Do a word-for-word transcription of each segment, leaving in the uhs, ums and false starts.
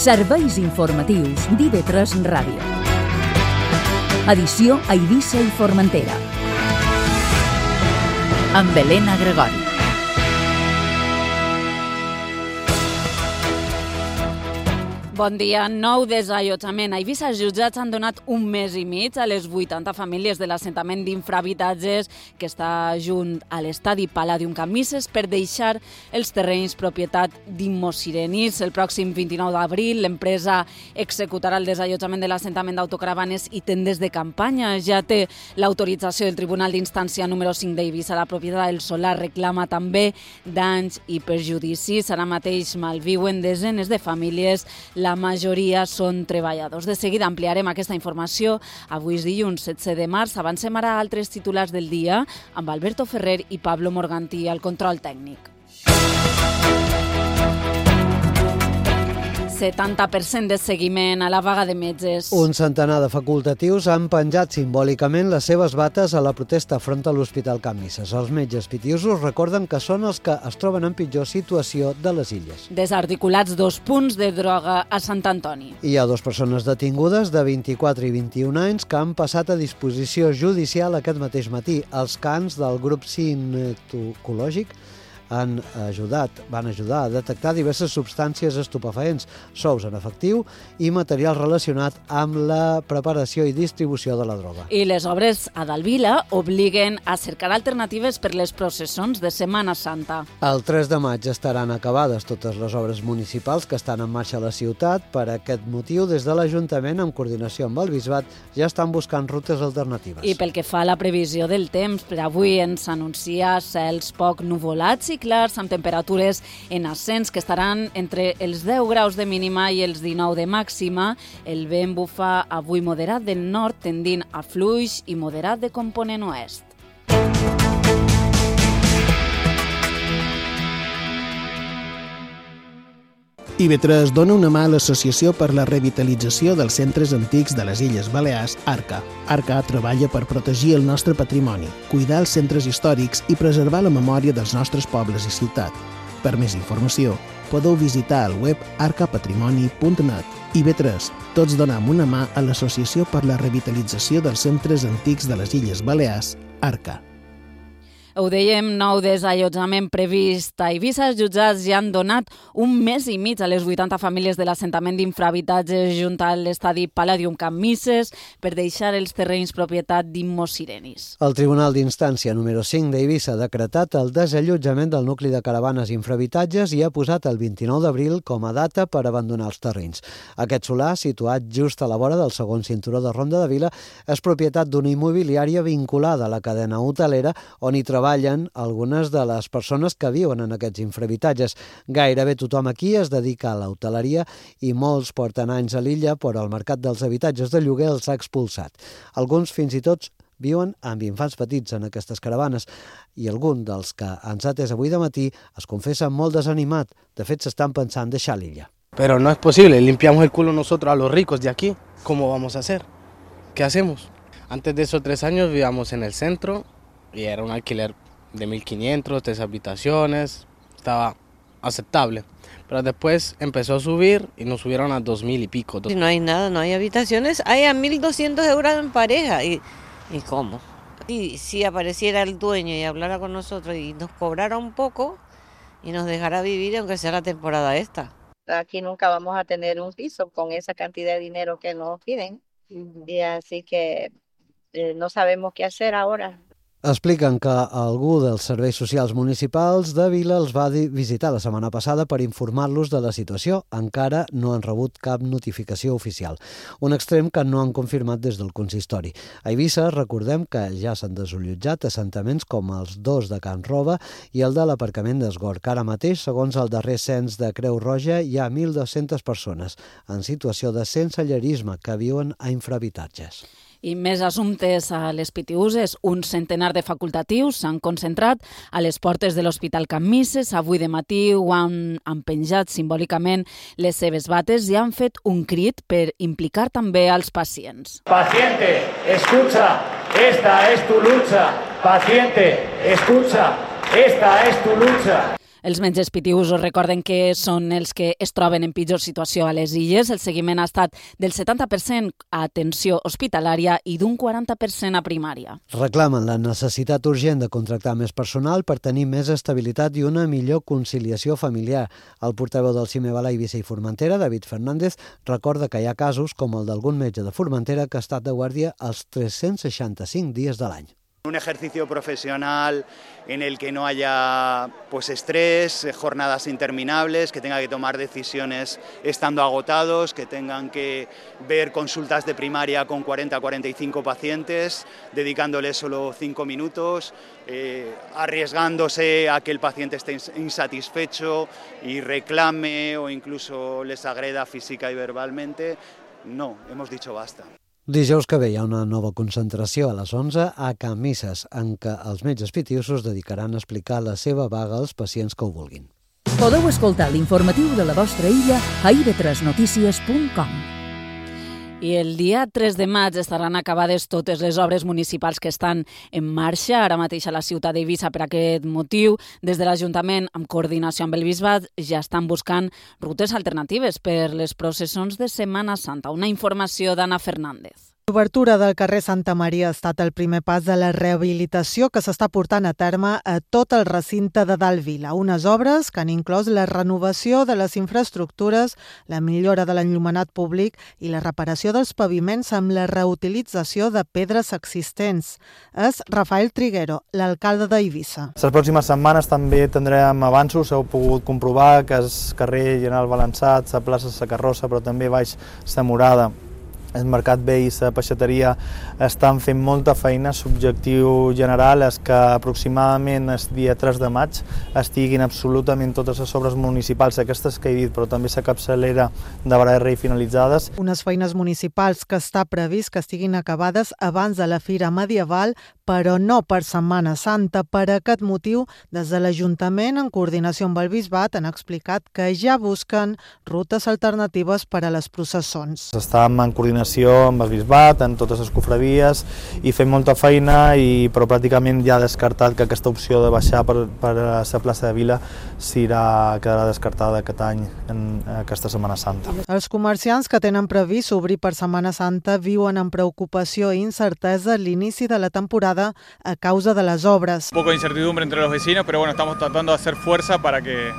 Serveis informatius d'I V tres Ràdio. Edició a Eivissa i Formentera. Amb Helena Gregori. Bon dia. Nou desallotjament. A Eivissa els jutjats han donat un mes i mig a les vuitanta famílies de l'assentament d'infrahabitatges que està junt a l'estadi Palladium Camises per deixar els terrenys propietat d'Immossirenis. El pròxim vint-i-nou d'abril l'empresa executarà el desallotjament de l'assentament d'autocaravanes i tendes de campanya. Ja té l'autorització del Tribunal d'Instància número cinc d'Eivissa. La propietat del solar reclama també danys i perjudicis. Ara mateix malviuen desenes de famílies. La majoria són treballadors. De seguida ampliarem aquesta informació. Avui és dilluns setze de març. Avancem ara a altres titulars del dia amb Alberto Ferrer i Pablo Morgantí al control tècnic. setanta per cent de seguiment a la vaga de metges. Un centenar de facultatius han penjat simbòlicament les seves bates a la protesta front a l'Hospital Camises. Els metges pitiusos recorden que són els que es troben en pitjor situació de les illes. Desarticulats dos punts de droga a Sant Antoni. Hi ha dues persones detingudes de vint-i-quatre i vint-i-un anys que han passat a disposició judicial aquest mateix matí. Els cans del grup cintocològic han ajudat, van ajudar a detectar diverses substàncies estupefaents, sous en efectiu i material relacionat amb la preparació i distribució de la droga. I les obres a Dalvila obliguen a cercar alternatives per les processons de Setmana Santa. El tres de maig estaran acabades totes les obres municipals que estan en marxa a la ciutat. Per aquest motiu, des de l'Ajuntament, en coordinació amb el Bisbat, ja estan buscant rutes alternatives. I pel que fa a la previsió del temps, per avui ens anuncia cels poc nuvolats i clars amb temperatures en ascens que estaran entre els deu graus de mínima i els dinou de màxima. El vent bufa avui moderat del nord tendint a fluix i moderat de component oest. I V tres dona una mà a l'Associació per la Revitalització dels Centres Antics de les Illes Balears, ARCA. ARCA treballa per protegir el nostre patrimoni, cuidar els centres històrics i preservar la memòria dels nostres pobles i ciutat. Per més informació, podeu visitar el web arca patrimoni punt net. I V tres, tots donem una mà a l'Associació per la Revitalització dels Centres Antics de les Illes Balears, ARCA. Ho dèiem, nou desallotjament previst a Eivissa. Els jutjats ja han donat un mes i mig a les vuitanta famílies de l'assentament d'infrahabitatges junt a l'estadi Palladium Camises per deixar els terrenys propietat d'Immossirenis. El Tribunal d'Instància número cinc d'Eivissa ha decretat el desallotjament del nucli de caravanes infrahabitatges i ha posat el vint-i-nou d'abril com a data per abandonar els terrenys. Aquest solar, situat just a la vora del segon cinturó de Ronda de Vila, és propietat d'una immobiliària vinculada a la cadena hotelera on hi treballa treballen algunes de les persones que viuen en aquests infrahabitatges. Gairebé tothom aquí es dedica a l'hoteleria i molts porten anys a l'illa, però el mercat dels habitatges de lloguer els ha expulsat. Alguns fins i tot viuen amb infants petits en aquestes caravanes i algun dels que ens ha atès avui de matí es confessa molt desanimat. De fet, s'estan pensant deixar l'illa. Pero no es posible, limpiamos el culo nosotros a los ricos de aquí. ¿Cómo vamos a hacer? ¿Qué hacemos? Antes de esos tres años vivíamos en el centro y era un alquiler de mil quinientos, tres habitaciones, estaba aceptable. Pero después empezó a subir y nos subieron a dos mil y pico. Si no hay nada, no hay habitaciones, hay a mil doscientos euros en pareja. ¿Y, y cómo? Y si apareciera el dueño y hablara con nosotros y nos cobrara un poco y nos dejara vivir, aunque sea la temporada esta. Aquí nunca vamos a tener un piso con esa cantidad de dinero que nos piden. Uh-huh. Y así que eh, no sabemos qué hacer ahora. Expliquen que algú dels serveis socials municipals de Vila els va visitar la setmana passada per informar-los de la situació. Encara no han rebut cap notificació oficial. Un extrem que no han confirmat des del consistori. A Eivissa recordem que ja s'han desallotjat assentaments com els dos de Can Roba i el de l'aparcament d'Esgorg. Ara mateix, segons el darrer cens de Creu Roja, hi ha mil dues-centes persones en situació de sensellarisme que viuen a infrahabitatges. I més assumptes a les pitiuses. Un centenar de facultatius s'han concentrat a les portes de l'Hospital Camises. Avui de matí ho han, han penjat simbòlicament les seves bates i han fet un crit per implicar també als pacients. Paciente, escucha, esta es tu lucha. Paciente, escucha, esta es tu lucha. Els metges pitiusos recorden que són els que es troben en pitjor situació a les illes. El seguiment ha estat del setanta per cent a atenció hospitalària i d'un quaranta per cent a primària. Reclamen la necessitat urgent de contractar més personal per tenir més estabilitat i una millor conciliació familiar. El portaveu del CIMEVALA Eivissa i Formentera, David Fernández, recorda que hi ha casos com el d'algun metge de Formentera que ha estat de guàrdia els tres-cents seixanta-cinc dies de l'any. Un ejercicio profesional en el que no haya pues estrés, jornadas interminables, que tenga que tomar decisiones estando agotados, que tengan que ver consultas de primaria con cuarenta a cuarenta y cinco pacientes, dedicándoles solo cinco minutos, eh, arriesgándose a que el paciente esté insatisfecho y reclame o incluso les agreda física y verbalmente. No, hemos dicho basta. Dijous que ve hi ha una nova concentració a les onze a Can Misses, en què els metges pitiusos dedicaran a explicar la seva vaga als pacients que ho vulguin. Podeu escoltar l'informatiu de la vostra illa a i ve tres notícies punt com. I el dia tres de maig estaran acabades totes les obres municipals que estan en marxa ara mateix a la ciutat d'Eivissa. Per aquest motiu, des de l'Ajuntament, amb coordinació amb el Bisbat, ja estan buscant rutes alternatives per les processons de Setmana Santa. Una informació d'Anna Fernández. L'obertura del carrer Santa Maria ha estat el primer pas de la rehabilitació que s'està portant a terme a tot el recinte de Dalt Vila. Unes obres que han inclòs la renovació de les infraestructures, la millora de l'enllumenat públic i la reparació dels paviments amb la reutilització de pedres existents. És Rafael Triguero, l'alcalde d'Eivissa. Les pròximes setmanes també tindrem avanços. Heu pogut comprovar que el carrer General Balançat, la plaça Sa Carrossa, però també baix Sa Morada, el Mercat Vell i la peixateria estan fent molta feina. L'objectiu general és que aproximadament el dia tres de maig estiguin absolutament totes les obres municipals, aquestes que he dit, però també la capçalera de Bararrey finalitzades. Unes feines municipals que està previst que estiguin acabades abans de la Fira Medieval, però no per Setmana Santa. Per aquest motiu, des de l'Ajuntament, en coordinació amb el Bisbat, han explicat que ja busquen rutes alternatives per a les processons. Estàvem en coordinació amb el Bisbat, en totes les cofradies, i fem molta feina, i, però pràcticament ja ha descartat que aquesta opció de baixar per, per la plaça de Vila serà, quedarà descartada aquest any, en aquesta Setmana Santa. Els comerciants que tenen previst obrir per Setmana Santa viuen amb preocupació i incertesa l'inici de la temporada a causa de les obres. Un poco de incertidumbre entre los vecinos, pero bueno, estamos tratando de hacer fuerza para que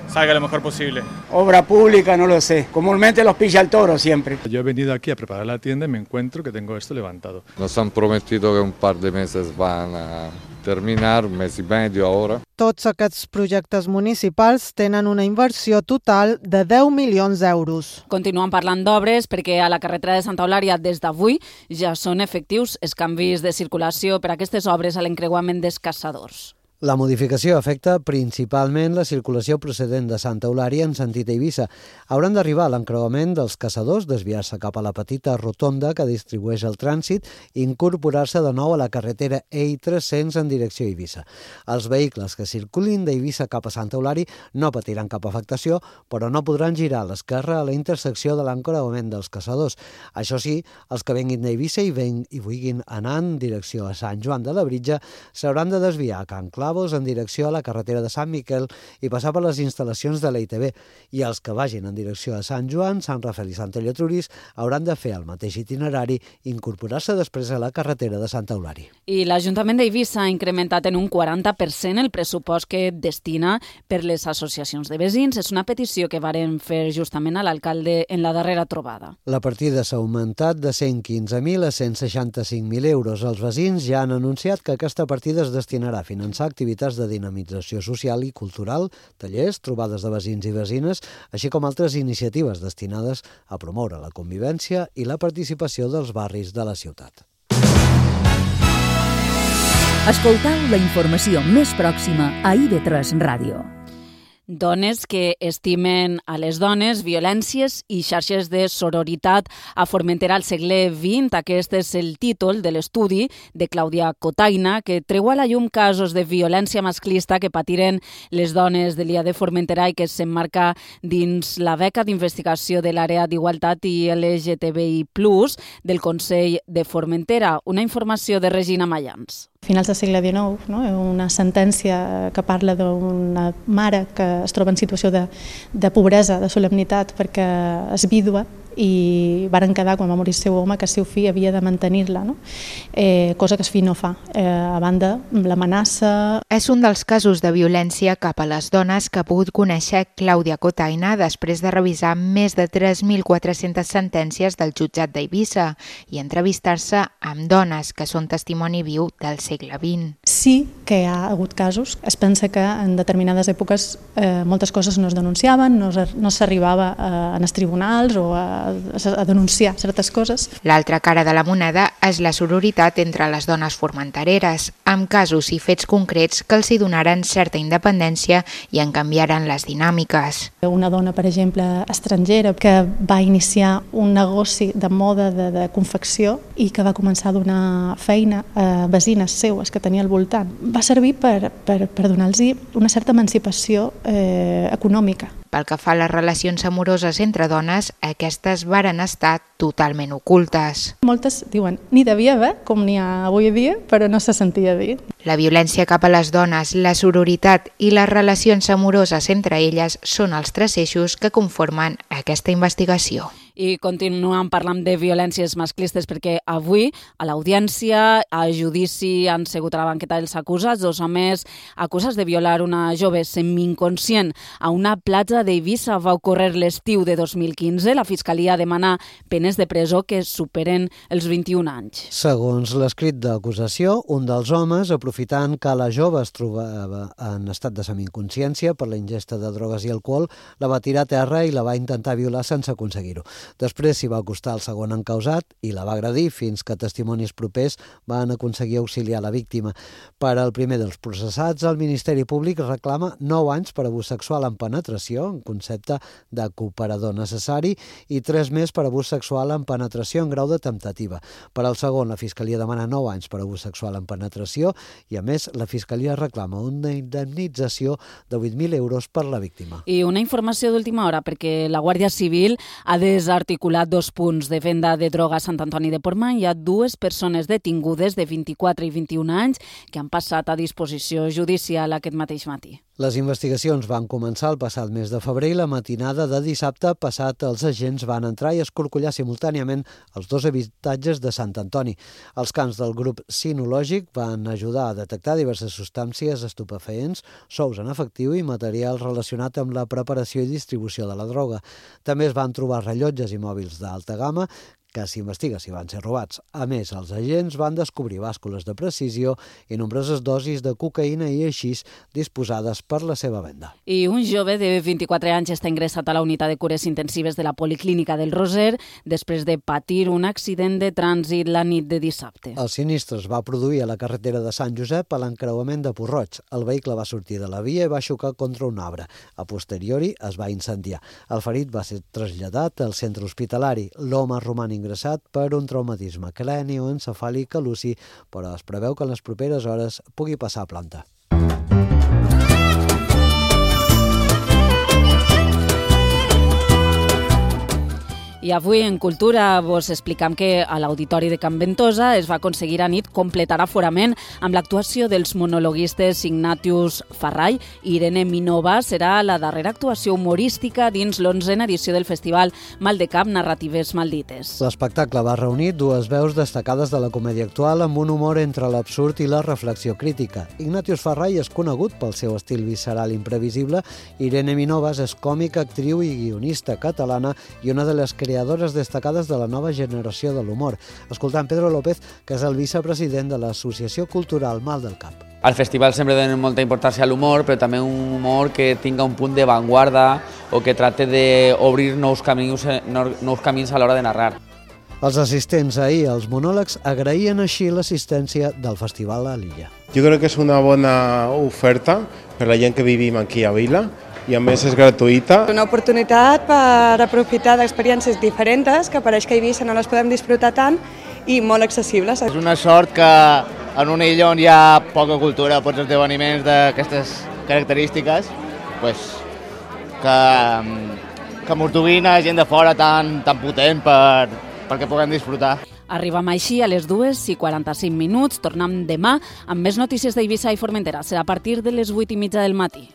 salga lo mejor posible. Obra pública, no lo sé. Comúnmente los pilla el toro siempre. Yo he venido aquí a preparar la tienda y me encuentro que tengo esto levantado. Nos han prometido que un par de meses van a terminar, un mes y medio ahora. Tots aquests projectes municipals tenen una inversió total de deu milions d'euros. Continuen parlant d'obres perquè a la carretera de Santa Eulària des d'avui ja són efectius els canvis de circulació per a aquestes obres a l'encreuament dels Caçadors. La modificació afecta principalment la circulació procedent de Santa Eulària en sentit Eivissa. Hauran d'arribar a l'encreuament dels Caçadors, desviar-se cap a la petita rotonda que distribueix el trànsit i incorporar-se de nou a la carretera E I tres-cents en direcció a Eivissa. Els vehicles que circulin d'Eivissa cap a Santa Eulària no patiran cap afectació, però no podran girar a l'esquerra a la intersecció de l'encreuament dels Caçadors. Això sí, els que venguin d'Eivissa i, ven, i vulguin anar en direcció a Sant Joan de la Britja s'hauran de desviar a Can Clau en direcció a la carretera de Sant Miquel i passar per les instal·lacions de l'E I T B. I els que vagin en direcció a Sant Joan, Sant Rafel i Sant Ellatrúries hauran de fer el mateix itinerari i incorporar-se després a la carretera de Santa Eulària. I l'Ajuntament d'Eivissa ha incrementat en un quaranta per cent el pressupost que destina per les associacions de veïns. És una petició que varen fer justament a l'alcalde en la darrera trobada. La partida s'ha augmentat de cent quinze mil a cent seixanta-cinc mil euros. Els veïns ja han anunciat que aquesta partida es destinarà a finançar activitats de dinamització social i cultural, tallers, trobades de veïns i veïnes, així com altres iniciatives destinades a promoure la convivència i la participació dels barris de la ciutat. Escoltau la informació més pròxima a i ve tres Ràdio. Dones que estimen a les dones, violències i xarxes de sororitat a Formentera al segle vint. Aquest és el títol de l'estudi de Clàudia Cotaina, que treu a la llum casos de violència masclista que patiren les dones de l'I A de Formentera i que s'emmarca dins la beca d'investigació de l'àrea d'igualtat i L G T B I plus, del Consell de Formentera. Una informació de Regina Mayans. Finals del segle dinou, no? Una sentència que parla d'una mare que es troba en situació de, de pobresa, de solemnitat, perquè és vídua, i varen quedar, quan va morir el seu home, que el seu fill havia de mantenir-la, no? eh, cosa que el fill no fa. Eh, a banda, l'amenaça... És un dels casos de violència cap a les dones que ha pogut conèixer Clàudia Cotaina després de revisar més de tres mil quatre-centes sentències del jutjat d'Eivissa i entrevistar-se amb dones que són testimoni viu del segle vint. Sí que hi ha hagut casos. Es pensa que en determinades èpoques eh, moltes coses no es denunciaven, no, no s'arribava a, a els tribunals o a a denunciar certes coses. L'altra cara de la moneda és la sororitat entre les dones formentereres, amb casos i fets concrets que els hi donaren certa independència i en canviaren les dinàmiques. Una dona, per exemple, estrangera, que va iniciar un negoci de moda de, de confecció i que va començar a donar feina a veïnes seues que tenia al voltant. Va servir per, per, per donar-los una certa emancipació eh, econòmica. Pel que fa a les relacions amoroses entre dones, aquestes varen estar totalment ocultes. Moltes diuen, n'hi devia haver, com n'hi ha avui dia, però no se sentia dir. La violència cap a les dones, la sororitat i les relacions amoroses entre elles són els tres eixos que conformen aquesta investigació. I continuem parlant de violències masclistes perquè avui a l'audiència, a judici, han segut a la banqueta dels acusats, dos homes acusats de violar una jove semi-inconscient a una platja d'Eivissa. Va ocórrer l'estiu de dos mil quinze. La Fiscalia demana penes de presó que superen els vint-i-un anys. Segons l'escrit d'acusació, un dels homes, aprofitant que la jove es trobava en estat de semi-inconsciència per la ingesta de drogues i alcohol, la va tirar a terra i la va intentar violar sense aconseguir-ho. Després s'hi va acostar el segon encausat i la va agredir fins que testimonis propers van aconseguir auxiliar la víctima. Per al primer dels processats, el Ministeri Públic reclama nou anys per abús sexual en penetració, en concepte de cooperador necessari, i tres més per abús sexual en penetració en grau de temptativa. Per al segon, la Fiscalia demana nou anys per abús sexual en penetració i, a més, la Fiscalia reclama una indemnització de vuit mil euros per la víctima. I una informació d'última hora, perquè la Guàrdia Civil ha desarticulat dos punts de venda de droga a Sant Antoni de Portmany. Hi ha dues persones detingudes de vint-i-quatre i vint-i-un anys que han passat a disposició judicial aquest mateix matí. Les investigacions van començar el passat mes de febrer i la matinada de dissabte passat els agents van entrar i escorcollar simultàniament els dos habitatges de Sant Antoni. Els cans del grup sinològic van ajudar a detectar diverses substàncies estupefaents, sous en efectiu i material relacionat amb la preparació i distribució de la droga. També es van trobar rellotges i mòbils d'alta gamma que s'investiga si van ser robats. A més, els agents van descobrir bàscules de precisió i nombroses dosis de cocaïna i aixís disposades per la seva venda. I un jove de vint-i-quatre anys està ingressat a la unitat de cures intensives de la Policlínica del Roser després de patir un accident de trànsit la nit de dissabte. El sinistre es va produir a la carretera de Sant Josep a l'encreuament de Puig-roig. El vehicle va sortir de la via i va xocar contra un arbre. A posteriori es va incendiar. El ferit va ser traslladat al centre hospitalari. L'home roman ingressat per un traumatisme cranioencefàlic a l'U C I, però es preveu que en les properes hores pugui passar a planta. I avui en Cultura vos explicam que a l'Auditori de Can Ventosa es va aconseguir a nit completar aforament amb l'actuació dels monologuistes Ignatius Farray i Irene Minova. Serà la darrera actuació humorística dins l'onzena edició del Festival Maldecap Narratives Maldites. L'espectacle va reunir dues veus destacades de la comèdia actual amb un humor entre l'absurd i la reflexió crítica. Ignatius Farray és conegut pel seu estil visceral imprevisible. Irene Minova és còmica, actriu i guionista catalana i una de les creadores destacades de la nova generació de l'humor. Escoltant Pedro López, que és el vicepresident de l'Associació Cultural Mal del Cap. Al festival sempre donen molta importància a l'humor, però també un humor que tinga un punt d'avantguarda o que tracte d'obrir nous camins, nous camins a l'hora de narrar. Els assistents ahir als monòlegs agraïen així l'assistència del festival a l'illa. Jo crec que és una bona oferta per la gent que vivim aquí a Vila, i a més és gratuïta. Una oportunitat per aprofitar d'experiències diferents que pareix que a Eivissa no les podem disfrutar tant i molt accessibles. És una sort que en una illa on hi ha poca cultura, pocs esdeveniments d'aquestes característiques, pues, que, que mos duguin a gent de fora tan, tan potent per, perquè puguem disfrutar. Arribam així a les dues i quaranta-cinc minuts. Tornem demà amb més notícies d'Eivissa i Formentera. Serà a partir de les vuit i mitja del matí.